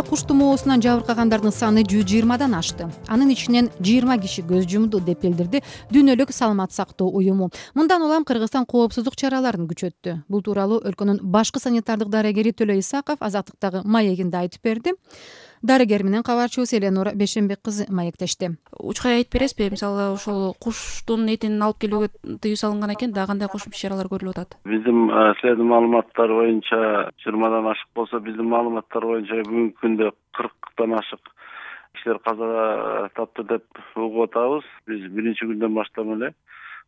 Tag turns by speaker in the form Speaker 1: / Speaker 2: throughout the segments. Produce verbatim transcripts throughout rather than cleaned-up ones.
Speaker 1: Кытайда куш тумоосунан жабыркагандардын саны жүз жыйырмадан ашты. Анын ичинен жыйырма киши көз жумду деп билдирди Дүйнөлүк саламат сактоо уюму. Мындан улам Кыргызстан коопсуздук чараларын күчөттү. Бул тууралуу өлкөнүн башкы санитардык дарыгери Төлө Исаков Азаттыктагы маегинде айтып берди. Дарыгер менен кабарчыбыз Эленора Бешенбек кызы маектешти.
Speaker 2: Учкай айтып бересизби, мисалы ошол куштун этин алып келүүгө тыюу салынган экен, дагы кандай кошумча чаралар көрүлүп атат?
Speaker 3: Биздин силердин маалыматтар боюнча жыйырмадан ашык болсо, биздин маалыматтар боюнча бүгүнкү күндө кырктан ашык кишилер каза тапты деп угуп атабыз. Биз биринчи күндөн баштап эле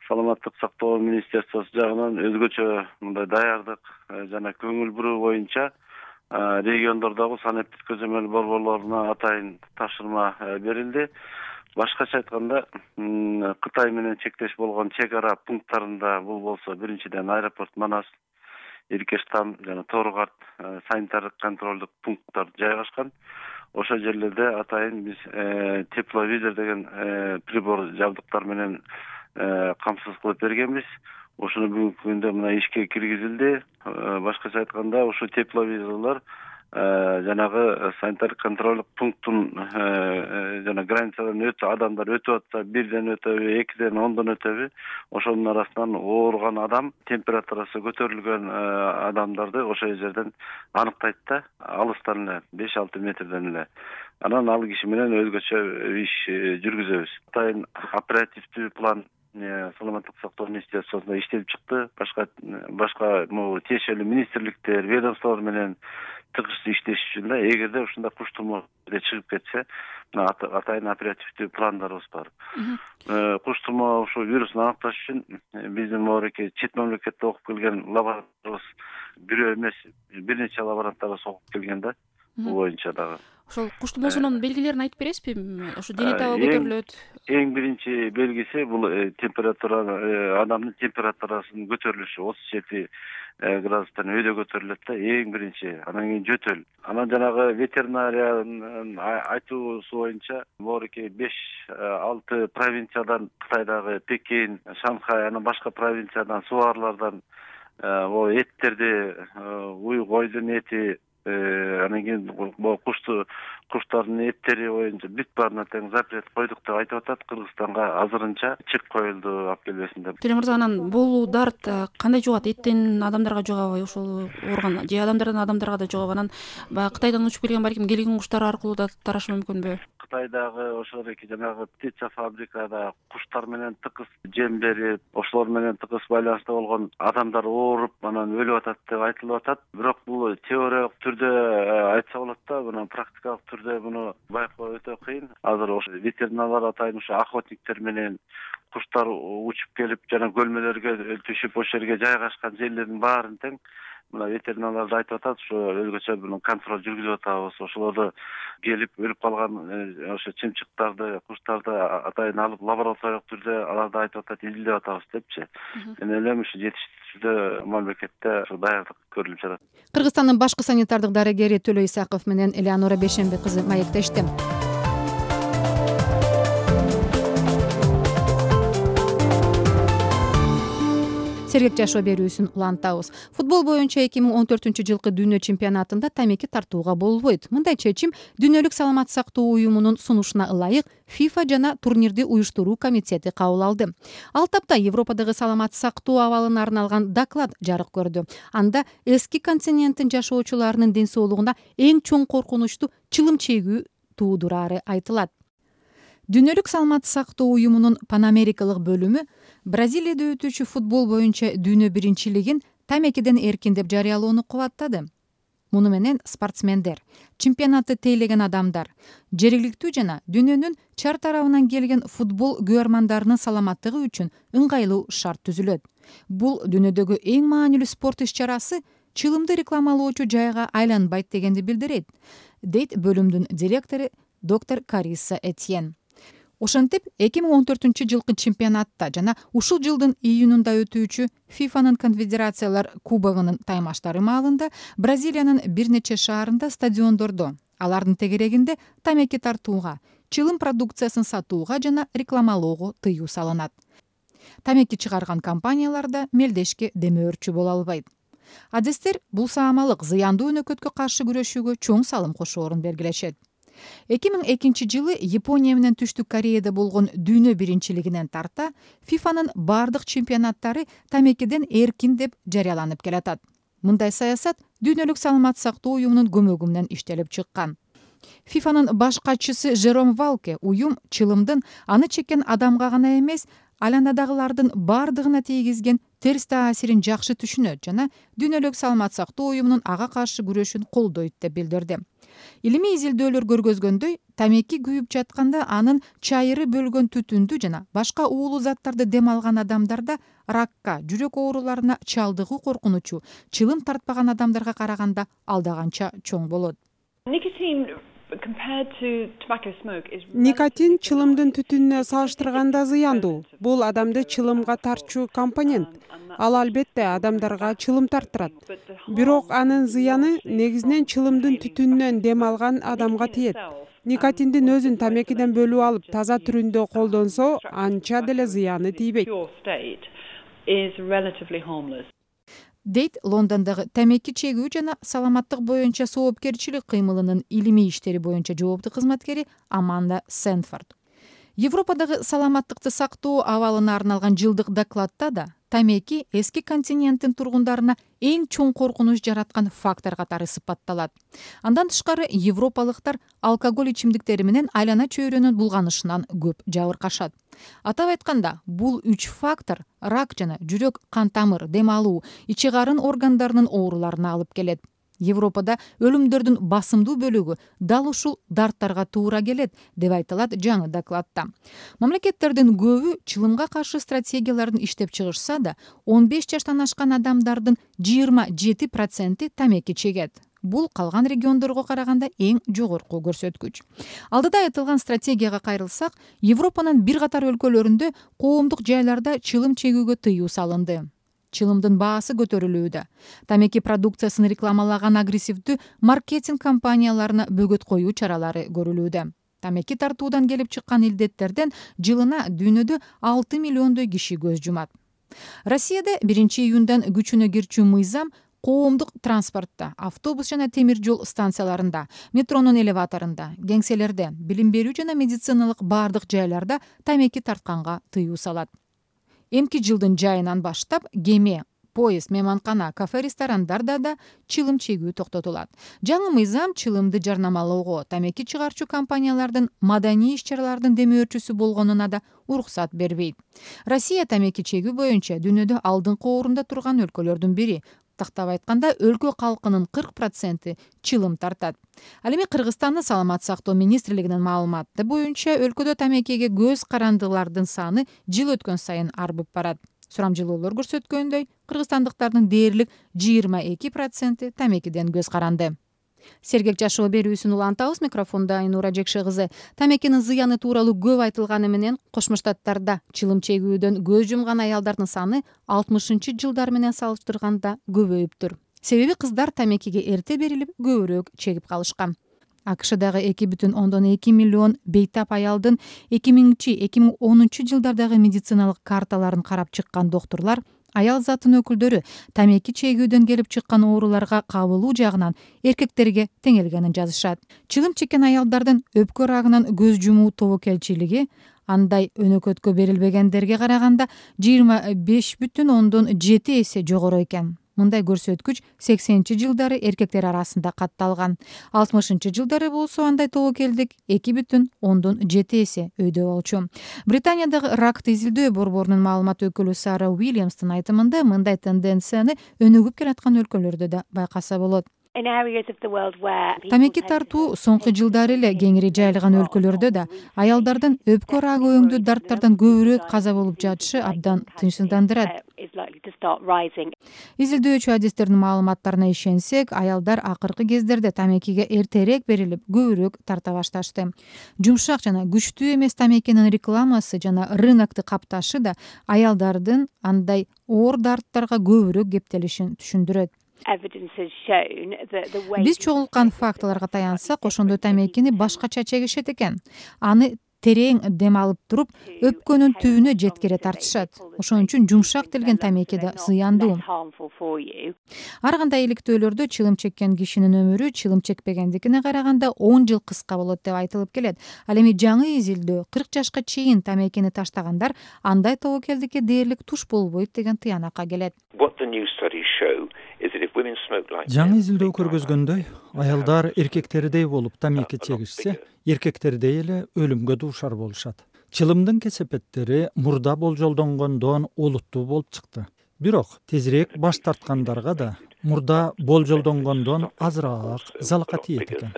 Speaker 3: саламаттык сактоо министерствосу жагынан өзгөчө мындай даярдык жана көңүл буруу боюнча региондордогу санэптик көзөмөл борборлоруна атайын тапшырма берилди. Башкача айтканда, Кытай менен чектеш болгон чек ара пункттарында, бул болсо биринчиден аэропорт Манас, Иркештам жана Торгарт санитардык контролдук пункттар жайгашкан. Ошол жерлерде атайын биз тепловизор деген прибор жабдыктар менен камсыз кылып бергенбиз. Ошону бүгүнкү күндө мына ишке киргизилди. Башкача айтканда, ошо тепловизорлор жанагы санитардык контролдук пункттун жана границадан өтө адамдар өтүп атса, бирден өтөбү, экиден, ондон өтөбү, ошонун арасынан ооруган адам, температурасы көтөрүлгөн адамдарды ошол жерден аныктайт да, алыстан эле, беш алты метрден эле. Анан ал киши менен өзгөчө иш жүргүзөбүз. Атайын оперативдүү план саламаттык сактоо министерствосунда иштелип чыкты. Башка башка могу тиешелүү министрликтер, ведомстволор менен тыгыз иштеш үчүн да, эгерде ушундай куш тумоо чыгып кетсе, атайын оперативдүү пландарыбыз бар. Куш тумоо ушул вирусун аныкташ үчүн биздин могуреки чет мамлекетте окуп келген лаборанттарыбыз бирөө эмес, бир нече лаборанттарыбыз окуп келген да, бул боюнча дагы.
Speaker 2: Ошол куш тумоосунун белгилерин айтып бересизби? Ошо дене табы көтөрүлөт.
Speaker 3: Эң биринчи белгиси бул температура, адамдын температурасынын көтөрүлүшү, отуз жети градустан өйдө көтөрүлөт да, эң биринчи. Анан кийин жөтөл. Анан жанагы ветеринариянын айтуусу боюнча могуреки беш алты провинциядан, Кытайдагы Пекин, Шанхай, анан башка провинциядан, субарлардан эттерди, уй койдун эти, анан кийин кушту куштардын эттери боюнча бүт баарына тең запрет койдук деп айтып атат. Кыргызстанга азырынча чек коюлду алып келбесин деп.
Speaker 2: Төлө мырза, анан бул дарт кандай жугат? Эттен адамдарга жугабы, ошол ооруган же адамдардан адамдарга да жугабы? Анан баягы Кытайдан учуп келген балким келген куштар аркылуу да тарашы мүмкүнбү?
Speaker 3: Кытайдагы ошол эки жанагы птица фабрикада куштар менен тыгыз жем берип, ошолор менен тыгыз байланыста болгон адамдар ооруп, анан өлүп атат деп айтылып атат. Бирок бул теориялык түрдө айтса болот да, мына практикалык түрдө муну байкоо өтө кыйын. Азыр ошо ветеринарлар атайын ошо охотниктер менен куштар учуп келип, жана көлмөлөргө түшүп, ошол жерге жайгашкан жерлердин баарын тең мына ветеринарлар айтып атат, ошо өзгөчө буну контроль жүргүзүп атабыз. Ошолорду келип өлүп калган ошо чымчыктарды, куштарды атайын алып лабораториялык түрдө аларды айтып атат, изилдеп атабыз депчи. Мен ойлойм, ушу жетиштүү мамлекетте даярдык көрүлүп жатат.
Speaker 1: Кыргызстандын башкы санитардык дарыгери Төлө Исаков менен Эленора Бешенбек кызы маектешти. Сергек жашоо берүүсүн улантабыз. Футбол боюнча эки миң он төртүнчү жылкы дүйнө чемпионатында тамеки тартууга болбойт. Мындай чечим Дүйнөлүк саламат сактоо уюмунун сунушуна ылайык FIFA жана турнирди уюштуруу комитети кабыл алды. Ал тапта Европадагы саламат сактоо абалына арналган доклад жарык көрдү. Анда эски континенттин жашоочуларынын ден соолугуна эң чоң коркунучту чылым чегүү туудурары айтылат. Дүйнөлүк саламат сактоо уюмунун панамерикалык бөлүмү Бразилияда өтүүчү футбол боюнча дүйнө биринчилигин тамекиден эркин деп жарыялоону кубаттады. Муну менен спортсмендер, чемпионатты тейлеген адамдар, жергиликтүү жана дүйнөнүн чар тарабынан келген футбол күйөрмандарынын саламаттыгы үчүн ыңгайлуу шарт түзүлөт. Бул дүйнөдөгү эң маанилүү спорт иш-чарасы чылымды рекламалоочу жайга айланбайт дегенди билдирет, дейт бөлүмдүн директору доктор Кариса Этьен. Ошентип, эки миң он төртүнчү жылкы чемпионатта жана ушул жылдын июнунда өтүүчү фифанын конфедерациялар кубогунун таймаштары маалында Бразилиянын бир нече шаарында стадиондордо, алардын тегерегинде тамеки тартууга, чылым продукциясын сатууга жана рекламалоого тыюу салынат. Тамеки чыгарган компаниялар да мелдешке демөөрчү боло албайт. адистер бул саамалык зыяндуу өнөкөткө каршы күрөшүүгө чоң салым кошоорун белгилешет. эки миң экинчи жылы Япония менен Түштүк Кореяда болгон дүйнө биринчилигинен тарта фифанын бардык чемпионаттары тамекиден эркин деп жарыяланып келатат. Мындай саясат дүйнөлүк саламат сактоо уюмунун көмөгү менен иштелип чыккан. фифанын баш катчысы Жером Валке уюм чылымдын аны чеккен адамга гана эмес, айланадагылардын бардыгына тийгизген терс таасирин жакшы түшүнөт жана дүйнөлүк саламат сактоо уюмунун ага каршы күрөшүн колдойт деп билдирди. Илимий изилдөөлөр көргөзгөндөй, тамеки күйүп жатканда анын чайыры бөлгөн түтүндү жана башка уулуу заттарды дем алган адамдарда ракка, жүрөк ооруларына чалдыгуу коркунучу чылым тартпаган адамдарга караганда алдаганча чоң болот.
Speaker 4: Никотин чылымдын түтүнүнө салыштырганда зыяндуу. Бул адамды чылымга тартчу компонент. Ал албетте адамдарга чылым тарттырат. Бирок анын зыяны негизинен чылымдын түтүнүнөн дем алган адамга тиет. Никотиндин өзүн тамекиден бөлүп алып, таза түрүндө колдонсо, анча деле зыяны тийбейт.
Speaker 1: Дейт Лондондогу тамеки чегүү жана саламаттык боюнча соопкерчилик кыймылынын илимий иштери боюнча жооптуу кызматкери Аманда Сэнфорд. Европадагы саламаттыкты сактоо абалына арналган жылдык докладта да тамеки эски континенттин тургундарына эң чоң коркунуч жараткан фактор катары сыпатталат. Андан тышкары европалыктар алкоголь ичимдиктери менен айлана чөйрөнүн булганышынан көп жабыркашат. Атап айтканда, бул үч фактор рак жана жүрөк, кан тамыр, дем алуу, ичи карын органдарынын ооруларына алып келет. Европада өлүмдөрдүн басымдуу бөлүгү дал ушул дарттарга туура келет деп айтылат жаңы докладта. Мамлекеттердин көбү чылымга каршы стратегияларын иштеп чыгышса да, он беш жаштан ашкан адамдардын жыйырма жети проценти тамеки чегет. Бул калган региондорго караганда эң жогорку көрсөткүч. Алдыда айтылган стратегияга кайрылсак, Европанын бир катар өлкөлөрүндө коомдук жайларда чылым чегүүгө тыюу салынды. Чылымдын баасы көтөрүлүүдө. Тамеки продукциясын рекламалаган агрессивдүү маркетинг компанияларына бөгөт коюу чаралары көрүлүүдө. Тамеки тартуудан келип чыккан илдеттерден жылына дүйнөдө алты миллиондой киши көз жумат. Россияда биринчи июндан күчүнө кирчү мыйзам коомдук транспортто, автобус жана темир жол станцияларында, метронун элеваторунда, кеңселерде, билим берүү жана медициналык бардык жайларда тамеки тартканга тыюу салат. Эмки жылдын жайынан баштап кеме, поезд, мейманкана, кафе, ресторандарда да чылым чегүү токтотулат. Жаңы мыйзам чылымды жарнамалоого тамеки чыгарчу компаниялардын маданий иш-чаралардын демөөрчүсү болгонуна да уруксат бербейт. Россия тамеки чегүү боюнча дүйнөдө алдыңкы орунда турган өлкөлөрдүн бири. Тактап айтканда, өлкө калкынын кырк проценти чылым тартат. Ал эми Кыргызстандын саламат сактоо министрлигинин маалыматы боюнча өлкөдө тамекиге көз карандылардын саны жыл өткөн сайын арбып барат. Сурамжылоолор көрсөткөндөй, кыргызстандыктардын дээрлик жыйырма эки проценти тамекиден көз каранды. Сергек жашоо берүүсүн улантабыз. Микрофонда Айнура Жекше кызы. Тамекинин зыяны тууралуу көп айтылганы менен Кошмо Штаттарда чылым чегүүдөн көз жумган аялдардын саны алтымышынчы жылдар менен салыштырганда көбөйүптүр. Себеби кыздар тамекиге эрте берилип, көбүрөөк чегип калышкан. АКШдагы эки бүтүн ондон эки миллион бейтап аялдын эки миңинчи эки миң онунчу жылдардагы медициналык карталарын карап чыккан доктурлар аял затынын өкүлдөрү тамеки чегүүдөн келип чыккан ооруларга кабылуу жагынан эркектерге теңелгенин жазышат. Чылым чеккен аялдардын өпкө рагынан көз жумуу тобокелчилиги андай өнөкөткө берилбегендерге караганда жыйырма беш бүтүн ондон жети эсе жогору экен. Мындай көрсөткүч сексенинчи жылдары эркектер арасында катталган. алтымышынчы жылдары болсо андай тобокелдик эки бүтүн ондон жети эсе өйдө болчу. Британиядагы ракты изилдөө борборунун маалымат өкүлү Сара Уильямстын айтымында мындай тенденцияны өнүгүп келаткан өлкөлөрдө да байкаса болот. Тамеки тартуу соңку жылдары эле кеңири жайылган өлкөлөрдө да аялдардын өпкө рагы өңдүү дарттардан көбүрөөк каза болуп жатышы абдан тынчсыздандырат. Изилдөөчү адистердин маалыматтарына ишенсек, аялдар акыркы кездерде тамекиге эртерээк берилип, көбүрөөк тарта башташты. Жумшак жана күчтүү эмес тамекинин рекламасы жана рынокты капташы да аялдардын андай оор дарттарга көбүрөөк кептелишин түшүндүрөт. Биз чогулткан фактыларга таянсак, ошондо тамекини башкача чегишет экен. Аны терең дем алып туруп өпкөнүн түбүнө жеткире тартышат. Ошон үчүн жумшак делген тамеки да зыяндуу. Ар кандай иликтөөлөрдө чылым чеккен кишинин өмүрү чылым чекпегендикине караганда он жыл кыска болот деп айтылып келет. Ал эми жаңы изилдөө кырк жашка чейин тамекини таштагандар андай тобокелдикке дээрлик туш болбойт деген тыянакка келет.
Speaker 5: Жаңы изилдөө көргөзгөндөй, аялдар эркектердей болуп тамеки чегишсе, эркектердей эле өлүмгө дуушар болушат. Чылымдын кесепеттери мурда болжолдонгондон олуттуу болуп чыкты. Бирок тезирээк баш тарткандарга да мурда болжолдонгондон азыраак залака тиет экен.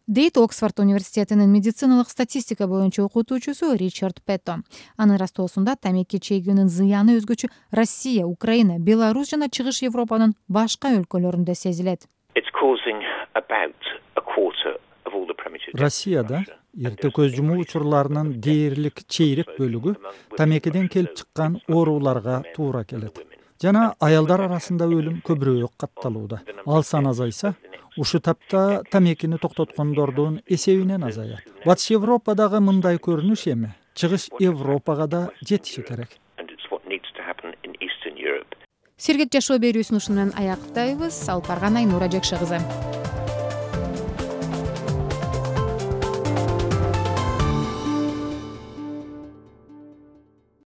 Speaker 1: Дейт Оксфорд университетинин медициналык статистика боюнча окутуучусу Ричард Петто. Анын растоосунда тамеки чегүүнүн зыяны өзгөчө Россия, Украина, Беларусь жана Чыгыш Европанын башка өлкөлөрүндө сезилет.
Speaker 5: Россияда эрте көз жумуу учурларынын дээрлик чейрек бөлүгү тамекиден келип чыккан ооруларга туура келет. Жана аялдар арасында өлүм көбүрөөк катталууда. Ал сан азайса, ушу тапта тамекини токтоткондордун эсебинен азаят. Батыш Европадагы мындай көрүнүш эми Чыгыш Европага да жетиши керек.
Speaker 1: Сергек жашоо берүүсүн ушуну менен аяктайбыз. Алып барган Айнура Жекше кызы.